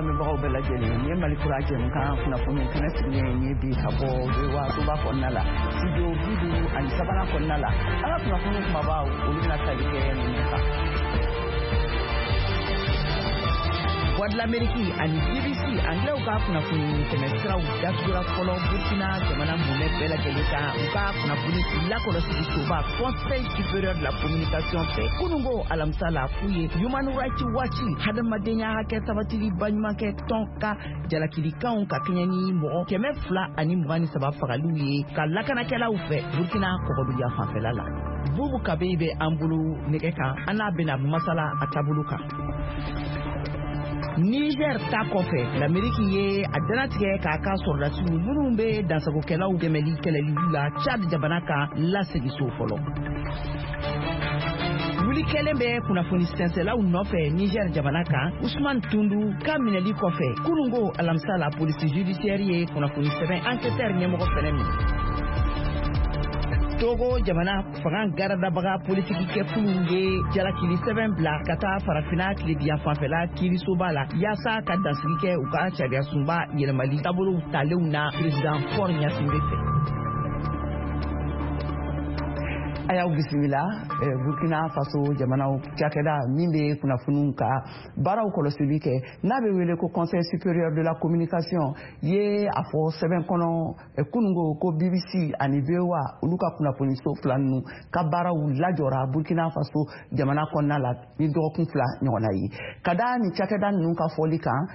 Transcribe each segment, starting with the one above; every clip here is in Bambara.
Lamɛnbagaw bɛɛ lajɛlen, nin ye Mali Kura jɛmukan kunnafoni kɛnɛ sigilen ye bi ka bɔ VOA soba kɔnɔna la, studio 53nan kɔnɔna la. An ka kunnafoni kumabaw, olu bɛna tali kɛ ninnu kan: Voix de l'Amérique ani BBC anglais ka kunnafoni tɛmɛsiraw datugura fɔlɔ Burkina jamana mumɛ bɛɛ lajɛlen kan, u ka kunnafoni lakɔlɔsili soba Conseil supérieur de la communication fɛ kunungo alamisa la, k'u ye Human Rights Watch, hadamadenya hakɛ sabatili baɲumankɛ tɔn ka jalakilikanw ka kɛɲɛ ni mɔgɔ 223 fagaliw ye ka lakanakɛlaw fɛ Burkina kɔgɔduguya fanfɛla la. Bubu Kabeyi bɛ an bolo nɛgɛ kan, an n'a bɛna masala a taabolo kan. Niger ta kɔfɛ, Lameriki ye a danatigɛ k'a ka sɔrɔdasiw minnu bɛ dansagokɛlaw dɛmɛli kɛlɛli la Chad jamana kan lasegin so fɔlɔ. Wuli kɛlen bɛ kunnafoni sɛnsɛlaw nɔfɛ Niger jamana kan, Usman Tundu ka minɛli kɔfɛ kunungo alamisa la, polisi judiciaire ye kunnafoni sɛbɛn enquêteur ɲɛmɔgɔ fɛnɛ minɛ. Togo jamana fanga garadabaga politikikɛkuluw ye jalakili sɛbɛn bila ka taa Farafina tilebiyan fanfɛla kiirisoba la yaasa ka dansigi kɛ u ka sariyasunba yɛlɛmali taabolow talenw na président Faure Gnassingbé fɛ. A y'aw bisimila. Burkina Faso jamanaw cakɛda min bɛ kunnafoniw ka baaraw kɔlɔsili kɛ, n'a bɛ wele ko Conseil supérieur de la communication, ye a fɔ sɛbɛn kɔnɔ kunungo ko BBC ani VOA, olu ka kunnafoniso fila ninnu ka baaraw lajɔra Burkina Faso jamana kɔnɔna la ni dɔgɔkun 2 ɲɔgɔnna ye. Ka da nin cakɛda ninnu ka fɔli kan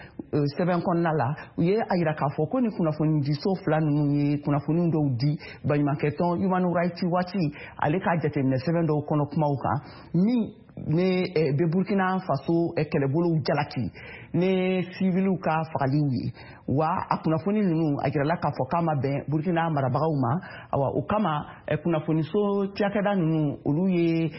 sɛbɛn kɔnɔna la, u ye a yira k'a fɔ ko ni kunnafonidiso fila ninnu ye kunnafoni dɔw di baɲumankɛtɔn Human Rights Watch ale ka jateminɛ sɛbɛn dɔw kɔnɔ kumaw kan min ne bɛ Burkina Faso kɛlɛbolow jalaki ne siviliw ka fagaliw ye. Wa a kunnafoni ninnu, a jirala k'a fɔ k'a ma bɛn Burkina marabagaw ma. Awa, o kama, kunnafoniso cakɛda ninnu, olu ye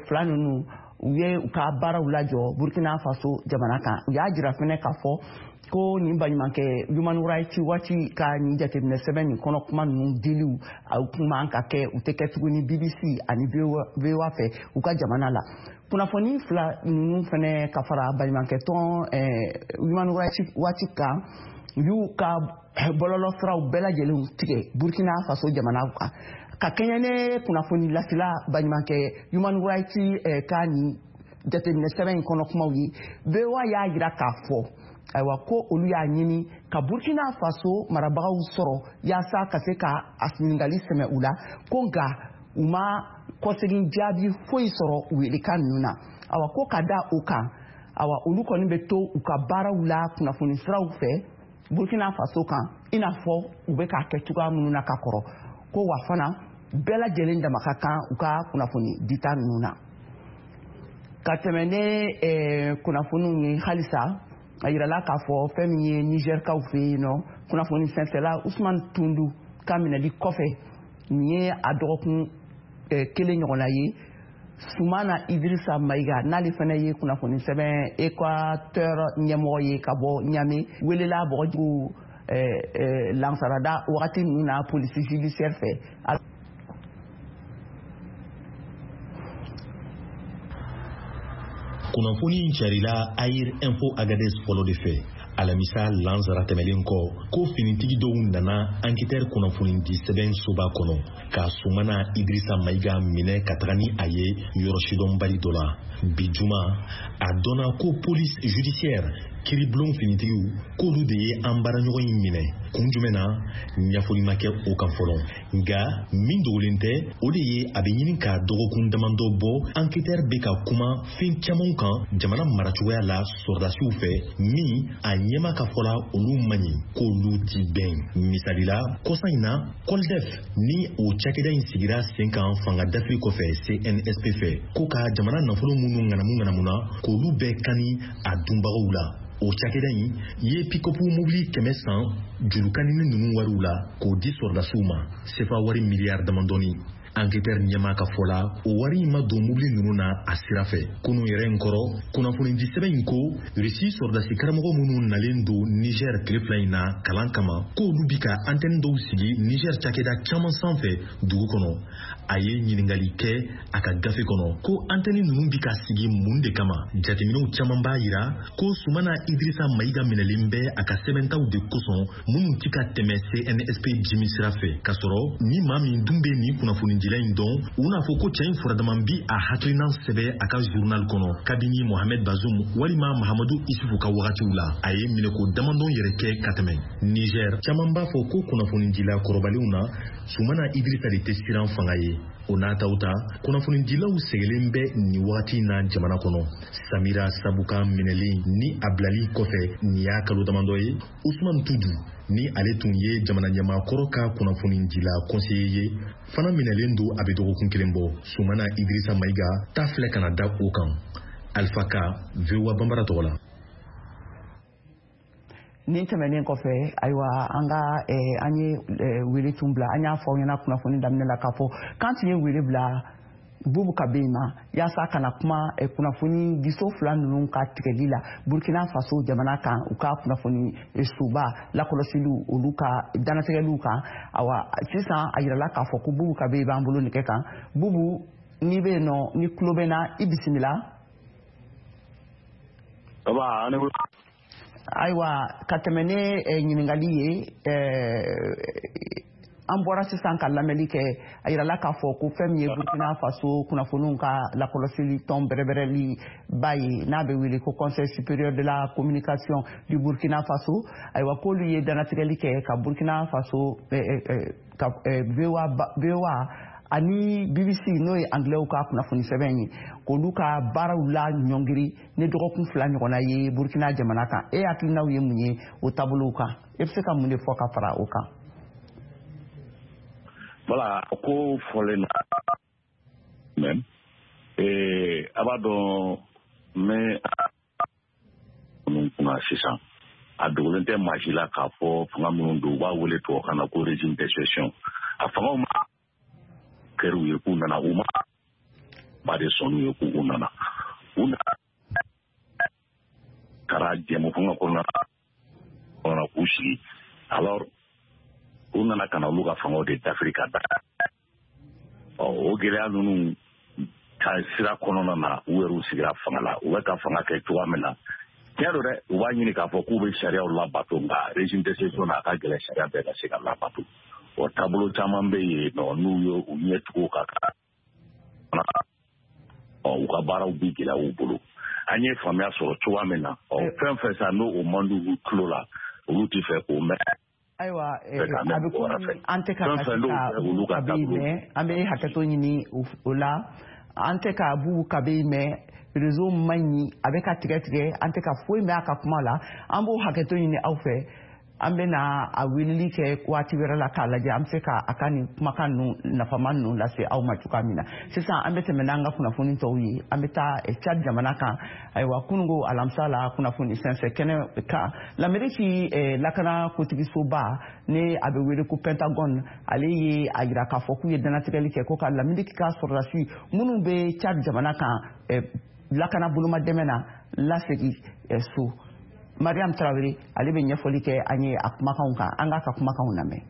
fila ninnu, u ye u ka baaraw lajɔ Burkina Faso jamana kan. U y'a jira fɛnɛ k'a fɔ ko nin baɲumankɛ Human Rights Watch ka nin jateminɛ sɛbɛn nin kɔnɔ kuma ninnu diliw, a kun man ka kɛ, u tɛ kɛ tuguni BBC ani VOA fɛ u ka jamana la. Kunnafoni fila ninnu fɛnɛ ka fara baɲumankɛ tɔn Human Rights Watch kan, u y'u ka bɔlɔlɔ siraw bɛɛ lajɛlen tigɛ Burkina Faso jamana kan ka kɛɲɛ ne kunnafoni lasela baɲumankɛ Human Rights ka nin jateminɛ sɛbɛn in kɔnɔ kumaw ye. VOA y'a jira k'a fɔ, ayiwa, ko olu y'a ɲini ka Burkina Faso marabagaw sɔrɔ yaasa ka se ka a ɲininkali sɛmɛ u la, ko nka u ma kɔsegin jaabi foyi sɔrɔ u welekan ninnu na. Awa, ko ka da o kan, awa, olu kɔni bɛ to u ka baaraw la kunnafoni siraw fɛ Burkina Faso kan, i n'a fɔ u bɛ k'a kɛ cogoya minnu na ka kɔrɔ. Ko wa fana, bɛɛ lajɛlen dama ka kan u ka kunnafoni dita ninnu na. Ka tɛmɛ ne kunnafoniw ye halisa, a yirala k'a fɔ fɛn min ye Nizɛrikaw fɛ yen nɔ, kunnafoni sɛnsɛla Usman Tundu ka minɛli kɔfɛ, nin ye a dɔgɔkun 1 ɲɔgɔnna ye, Sumana Idrissa Maïga, n'ale fana ye kunnafoni sɛbɛn Équateur ɲɛmɔgɔ ye ka bɔ Ɲame, welela bɔgɔjugu lansarada wagati ninnu na polisi judiciaire fɛ. Kunnafoni in carila Air Info Agadez fɔlɔ de fɛ alamisa lansara tɛmɛlen kɔ, ko finitigi dɔw nana enquêteur kunnafoni di sɛbɛn soba kɔnɔ ka Sumana Idrissa Maïga minɛ ka taga ni a ye yɔrɔ sidɔnbali dɔ la. Bi juma, a dɔnna ko police judiciaire, kiribulon finitigiw, k'olu de ye an baaraɲɔgɔn in minɛ. Kun jumɛn na, ɲɛfɔli ma kɛ o kan fɔlɔ. Nka min dogolen tɛ, o de ye a bɛ ɲini ka dɔgɔkun damadɔ bɔ, enquêteur bɛ ka kuma fɛn caman kan jamana maracogoya la sɔrɔdasiw fɛ, min a ɲɛma ka fɔ la, olu man ɲi, k'olu ti bɛn. Misali la, kɔsa in na, Coldef ni o cakɛda in sigira sen kan fanga dafiri kɔfɛ CNSP fɛ, ko ka jamana nafolo minnu ŋanamu ŋanamuna, k'olu bɛɛ kani a dunbagaw la, o cakɛda in ye pikɔpu mobili 100 san jurukanini ninnu wariw la k'o di sɔrɔdasiw ma, sefa wari miliyari damadɔni. Enquêteur ɲɛmaa ka fɔ la, o wari in ma don mobili ninnu na a sira fɛ. Kunun yɛrɛ in kɔrɔ, kunnafonidi sɛbɛn in ko Russie sɔrɔdasi karamɔgɔ minnu nalen don Niger tile 2 in na kalan kama, k'olu bi ka antenne dɔw sigi Niger cakɛda caman sanfɛ dugu kɔnɔ. A ye ɲininkali kɛ a ka gafe kɔnɔ ko antenne ninnu bi ka sigi mun de kama. Jateminɛw caman b'a yira ko Sumana Idrissa Maïga minɛlen bɛ a ka sɛbɛntaw de kosɔn minnu ti ka tɛmɛ CNSP jimi sira fɛ, k'a sɔrɔ ni maa min dun bɛ nin kunnafonidila in dɔn, u n'a fɔ ko cɛ in furadama bi a hakilinan sɛbɛ a ka journal kɔnɔ kabini Mohamed Bazoum walima Mahamadu Isufu ka wagatiw la. A ye minɛko damadɔn yɛrɛ kɛ ka tɛmɛ. Niger caman b'a fɔ ko kunnafonidila kɔrɔbalenw na, Sumana Idrissa de tɛ siran fanga ye. O n'a taw ta, kunnafonidilaw sɛgɛlen bɛ nin wagati na jamana kɔnɔ. Samira Sabuka minɛlen ni a bilali kɔfɛ nin y'a kalo damadɔ ye, Usman Tudu, ni ale tun ye jamana ɲɛmaakɔrɔ ka kunnafonidila conseiller ye, fana minɛlen don a bɛ dɔgɔkun kelen bɔ. Sumana Idrissa Maïga ta filɛ ka na da o kan. Alpha Ka, VOA Bambara tɔgɔ la. Nin tɛmɛnen kɔfɛ, ayiwa, an ka an ye wele tun bila, an y'a fɔ aw ɲɛna kunnafoni daminɛ la k'a fɔ k'an tun ye wele bila Bubu Kabe ma yaasa ka na kuma kunnafoni diso 2 ninnu ka tigɛli la Burkina Faso jamana kan, u ka kunnafoni soba lakɔlɔsiliw, olu ka dannatigɛliw kan. Awa, sisan a yirala k'a fɔ ko Bubu Kabe b'an bolo nɛgɛ kan. Bubu, n'i bɛ yen nɔ, ni tulo bɛ n na, i bisimila. Ayiwa, ka tɛmɛ ne ɲininkali ye, an bɔra sisan ka lamɛnli kɛ, a yirala k'a fɔ ko fɛn min ye Burkina Faso kunnafoniw ka lakɔlɔsili tɔn bɛrɛbɛrɛli ba ye, n'a bɛ wele ko Conseil supérieur de la communication du Burkina Faso, ayiwa, k'olu ye dannatigɛli kɛ ka Burkina Faso ka VOA ani BBC, n'o ye anglais ka kunnafoni sɛbɛn ye, k'olu ka baaraw la ɲɔngiri ni dɔgɔkun 2 ɲɔgɔnna ye Burkina jamana kan. E hakilinaw ye mun ye o taabolow kan? E bɛ se ka mun de fɔ ka fara o kan? Voilà, ko fɔlen na même a b'a dɔn n bɛ minnu kunna sisan, a dogolen tɛ maa si la k'a fɔ fanga minnu don, u b'a wele tubabukan na ko régime d'exception. A fangaw ma kɛr'u ye k'u nana, u ma ba de sɔnn'u ye k'u nana, u nana taara jɛmu fanga kɔnɔna na k'u sigi. Alors u nana ka na olu ka fangaw de dafiri ka da. Ɔ, o gɛlɛya ninnu ka sira kɔnɔna na, u yɛrɛw sigira fanga la, u bɛ ka fanga kɛ cogoya min na, tiɲɛ don dɛ, u b'a ɲini k'a fɔ k'u bɛ sariyaw labato, nka régime d'exception na, a ka gɛlɛn sariya bɛɛ ka se ka labato. O taabolo caman bɛ yen nɔ, n'u ye u ɲɛ tugu ka ɔ, u ka baaraw bi gɛlɛya u bolo. An ye faamuya sɔrɔ cogoya min na, ɔ, fɛn fɛn sa n'o o man di u tulo la, olu tɛ fɛ k'o mɛn. Ayiwa, a bɛ komi an tɛ ka se ka Bubu Kabe mɛn, an bɛ hakɛto ɲini o la, an tɛ ka Bubu Kabe mɛn, réseau man ɲi, a bɛ ka tigɛ tigɛ, an tɛ ka foyi mɛn a ka kuma la. An b'o hakɛto ɲini aw fɛ. An bɛna a weleli kɛ waati wɛrɛ la k'a lajɛ an bɛ se ka a ka nin kumakan ninnu nafama ninnu lase aw ma cogoya min na. Sisan an bɛ tɛmɛ n'an ka kunnafoni tɔw ye, an bɛ taa Tchad jamana kan. Ayiwa, kununko alamisa la, kunnafoni sɛnsɛn kɛnɛ kan, Lameriki lakana kotigisoba, ni a bɛ wele ko Pentagone, ale ye a yira k'a fɔ k'u ye dannatigɛli kɛ ko ka Lameriki ka sɔrɔdasi minnu bɛ Tchad jamana kan lakana boloma dɛmɛ na lasegin so. Mariam Traoré, ale bɛ ɲɛfɔli kɛ an ye a kumakanw kan, an k'a ka kumakanw lamɛn.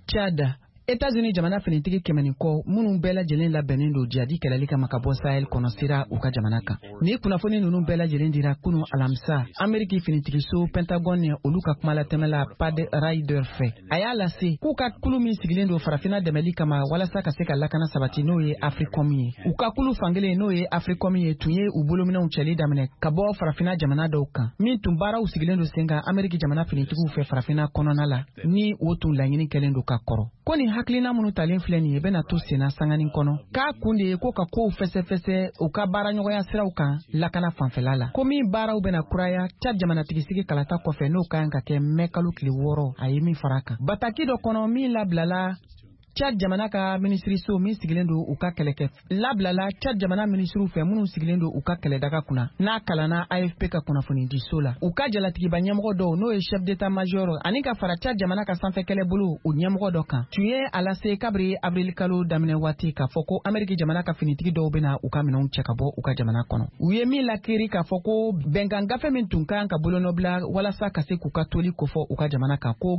Tchad, États-Unis jamana finitigi 100 ni kɔ minnu bɛɛ lajɛlen labɛnnen don jihadi kɛlɛli kama ka bɔ Sahel kɔnɔ sera u ka jamana kan. Ni kunnafoni ninnu bɛɛ lajɛlen dira kunu alamisa Ameriki finitigiso Pentagone ni olu ka kumalatɛmɛla Pat Ryder fɛ. A y'a lase k'u ka kulu min sigilen don farafina dɛmɛli kama walasa ka se ka lakana sabati, n'o ye Africom ye. U ka kulu fankelen, n'o ye Africom ye, tun ye u bolominɛw cɛli daminɛ ka bɔ farafina jamana dɔw kan min tun baaraw sigilen don sen kan Ameriki jamana finitigiw fɛ farafina kɔnɔna la, ni o tun laɲini kɛlen don ka kɔrɔ. Ko nin hakilina minnu talen filɛ nin ye bɛna to senna sanganin kɔnɔ, k'a kun de ye ko ka kow fɛsɛfɛsɛ u ka baaraɲɔgɔnya siraw kan lakana fanfɛla la, ko min baaraw bɛna kuraya Tchad jamanatigisigi kalata kɔfɛ, n'o ka kan ka kɛ mɛ kalo tile 6. A ye min fara kan bataki dɔ kɔnɔ min labilala Tchad jamana ka minisiriso min sigilen don u ka kɛlɛkɛ labilala Tchad jamana minisiriw fɛ minnu sigilen don u ka kɛlɛdaga kunna, n'a kalanna AFP ka kunnafonidiso la. U ka jalatigiba ɲɛmɔgɔ dɔw, n'o ye chef d'état major ani ka fara Tchad jamana ka sanfɛ kɛlɛbolo o ɲɛmɔgɔ dɔ kan, tun ye a lase kabiri avril kalo daminɛ waati k'a fɔ ko Ameriki jamana ka finitigi dɔw bɛna u ka minɛnw cɛ ka bɔ u ka jamana kɔnɔ. U ye min lakiri k'a fɔ ko bɛnkan gafe min tun kan ka bolonɔbila walasa ka se k'u ka toli kofɔ u ka jamana kan ko